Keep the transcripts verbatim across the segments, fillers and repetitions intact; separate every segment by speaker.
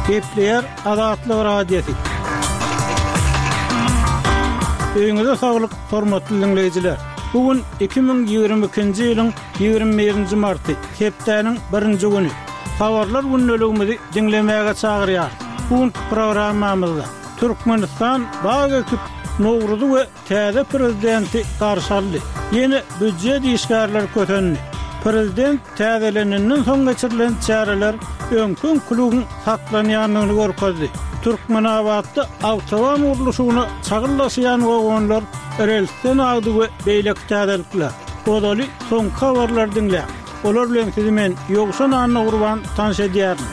Speaker 1: Gepleýär Azatlyk Radiosy. Öýüňize saglyk, hormatly diňleýjiler. Bu gün iki müň ýigrimi ikinji ýylyň ýigrimi birinji marty, hepdäniň birinji güni. Habarlar gündeligimizi diňlemäge çagyrýarys. Bu günki programmamyzda Türkmenistan bag ekip, Nowruzy we Täze prezidenti garşy aldy. Ýene býujet işgärleri kösendi. Prezident täzelenenden soň geçirilen çäreler öňki-öňküligiň saklanýandygyny görkezdi. Türkmenabatda awtoban gurluşygyna çagyl daşaýan wagonlar relsden agdy we beýleki täzelikler. Ozaly soňky habarlary diňläň. Olar bilen sizi men, Ýowşan Annagurban tanyş edýärin.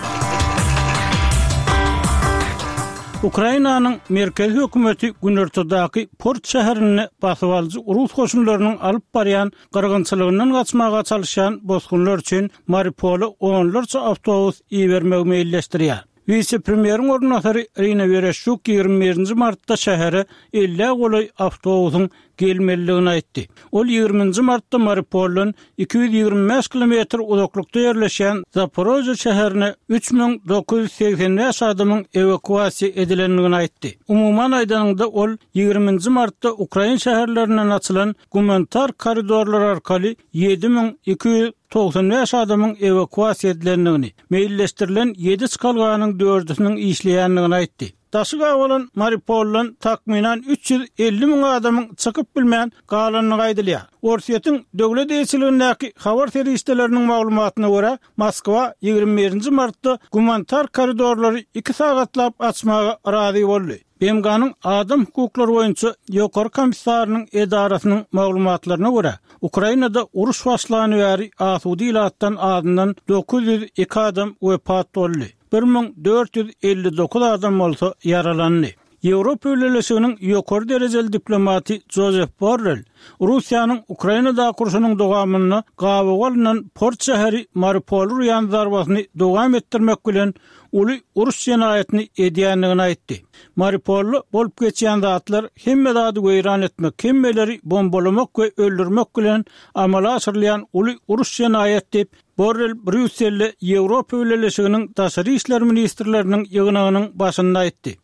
Speaker 1: Ukrainanyň merkezi hökümeti günortadaky port şäherinde basybalyjy rus goşunlarynyň alyp barýan gyrgynçylygyndan gaçmaga çalyşýan bosgunlar üçin Mariupola onlarça awtobus ibermegi meýilleşdirýär. Wise-premýeriň orunbasary Irina Wereşçuk ýigrimi birinji martda şähere ellä golaý awtobusyň gelmelidigini aýtdy. Ol ýigrimi nji martda Mariupoldan iki ýüz ýigrimi bäş kilometr uzaklykda ýerleşýän Zaporožýe şäherine üç müň dokuz ýüz segsen bäş adamyň ewakuasiýa edilendigini aýtdy. Umuman aýdanyňda, ol ýigrimi nji martda ukrain şäherlerinden açylan gumanitar koridorlar arkaly ýedi müň iki ýüz togsan bäş adamyň ewakuasiýa edilendigini, meýilleşdirilen ýedi çykalganyň dördüsiniň işleýändigini aýtdy. Daşy gabalan Mariupoldan takmynan üç ýüz elli müň adamyň çykyp bilmän galandygy aýdylýar. Orsýetiň döwlet eýeçiligindäki habar serişdeleriniň maglumatyna görä, Moskwa ýigrimi birinji martda gumanitar koridorlary iki sagatlap açmaga razy boldy. B M G-niň Adam hukuklary boýunça Ýokary komissarynyň edarasynyň maglumatlaryna görä, Ukrainada uruş başlany bäri asuda ilatdan azyndan dokuz ýüz iki adam wepat boldy. Bir müň dört ýüz elli dokuz adam bolsa ýaralandy. Ýewropa Bileleşiginiň ýokary derejeli diplomaty Jozef Borrell Russiýanyň Ukrainadaky urşunyň dowamynda gabawa alnan port şäheri Mariupoly urýan zarbasyny dowam etdirmek bilen uly uruş jenaýatyny edýändigini aýtdy. Mariupolda bolup geçýän zatlar hemme zady weýran etmek, hemmeleri bombalamak we öldürmek bilen amala aşyrylýan uly uruş jenaýat diýip, Borrel Brýusselde Ýewropa Bileleşiginiň daşary işler ministrleriniň ýygnagynyň başynda aýtdy.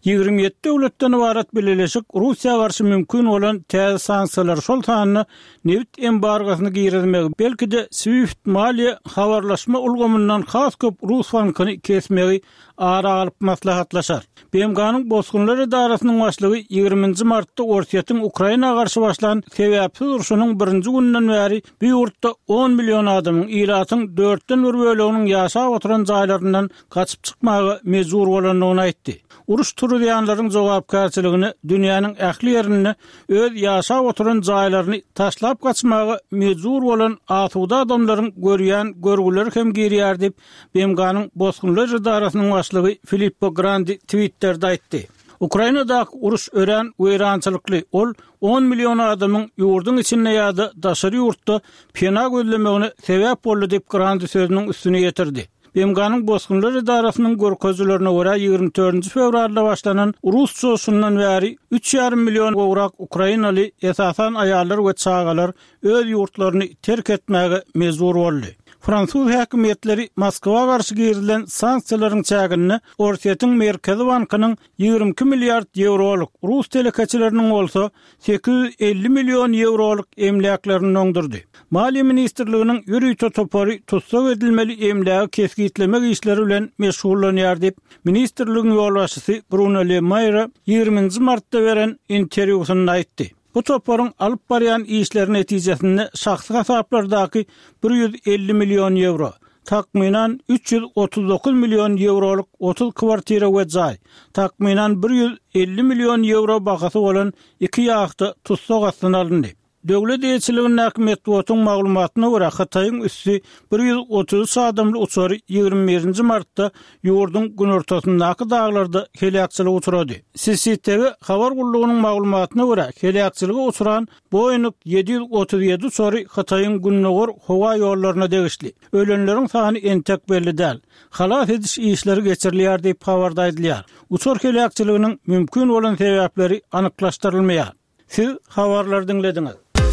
Speaker 1: Ýigrimi ýedi döwletden ybarat bileleşik Russiýa garşy mümkin bolan täze sanksiýalary, şol sanda nebit embargosyny girizmegi, belki-de SWIFT maliýe habarlaşma ulgamyndan has köp rus bankyny kesmegi ara alyp maslahatlaşar. B M G-niň Bosgunlar edarasynyň başlygy ýigrimi nji martda Orsýetiň Ukraina garşy başlan sebäpsiz urşunyň birinji gününden bäri bu ýurtda on million adamyň, ilatyň dörtden bir böleginiň ýaşap oturan jaýlaryndan gaçyp çykmaga mejbur bolandygyny aýtdy. Uruş turuzýanlaryň jogapkärçiligine dünýäniň ähli ýerinde öz ýaşap oturan jaýlaryny taşlap gaçmaga mejbur bolan asuda adamlaryň görýän görgüleri hem girýär diýip, B M G-niň Bosgunlar edarasynyň başlygy Filippo Grandi Twitterde aýtdy. Ukrainadaky uruş örän weýrançylykly, ol on million adamyň ýurduň içinde ýa-da daşary ýurtda pena gözlemegine sebäp boldy diýip, Grandi sözüniň üstüni ýetirdi. B M G-niň Bosgunlar edarasynyň görkezijilerine görä, ýigrimi dördünji fewralda başlanan rus çoşundan bäri üç ýarym million gowrak ukrainaly, esasan aýallar we çagalar öz ýurtlaryny terk etmäge mejbur boldy. Fransuz häkimiýetleri Moskwa garşy girizilen sanksiýalaryň çäginde Orsýetiň Merkezi bankynyň ýigrimi iki milliard ýewrolyk, rus telekeçileriniň bolsa sekiz ýüz elli million ýewrolyk emläklerini doňdurdy. Maliýe ministrliginiň ýörite topary tussag edilmeli emlägi kesgitlemek işleri bilen meşgullanýar diýip, ministrligiň ýolbaşçysy Bruno Le Maire ýigrimi nji martda beren interwýusynda aýtdy. Bu toparyň alyp barýan işleri netijesinde şahsy hasaplardaky bir ýüz elli million ýewro, takmynan üç ýüz otuz dokuz million ýewrolyk otuz kwartira we jaý, takmynan bir ýüz elli million ýewro bahasy bolan iki ýahta tussag astyna alyndy. Döwlet eýeçiligindäki metbugatyň maglumatyna görä, Hytaýyň üsti bir ýüz otuz üç adamly uçary ýigrimi birinji martda ýurduň günortasyndaky daglarda heläkçilige uçrady. C C T V habar gullugynyň maglumatyna görä, heläkçilige uçran Boeing ýedi ýüz otuz ýedi uçary Hytaýyň gündogar howa ýollaryna degişli. Ölenleriň sany entek belli däl. Halas ediş işleri geçirilýär diýip habarda aýdylýar. Uçar heläkçiliginiň mümkin bolan sebäpleri anyklaşdyrylmaýar. Siz habarlary diňlediňiz.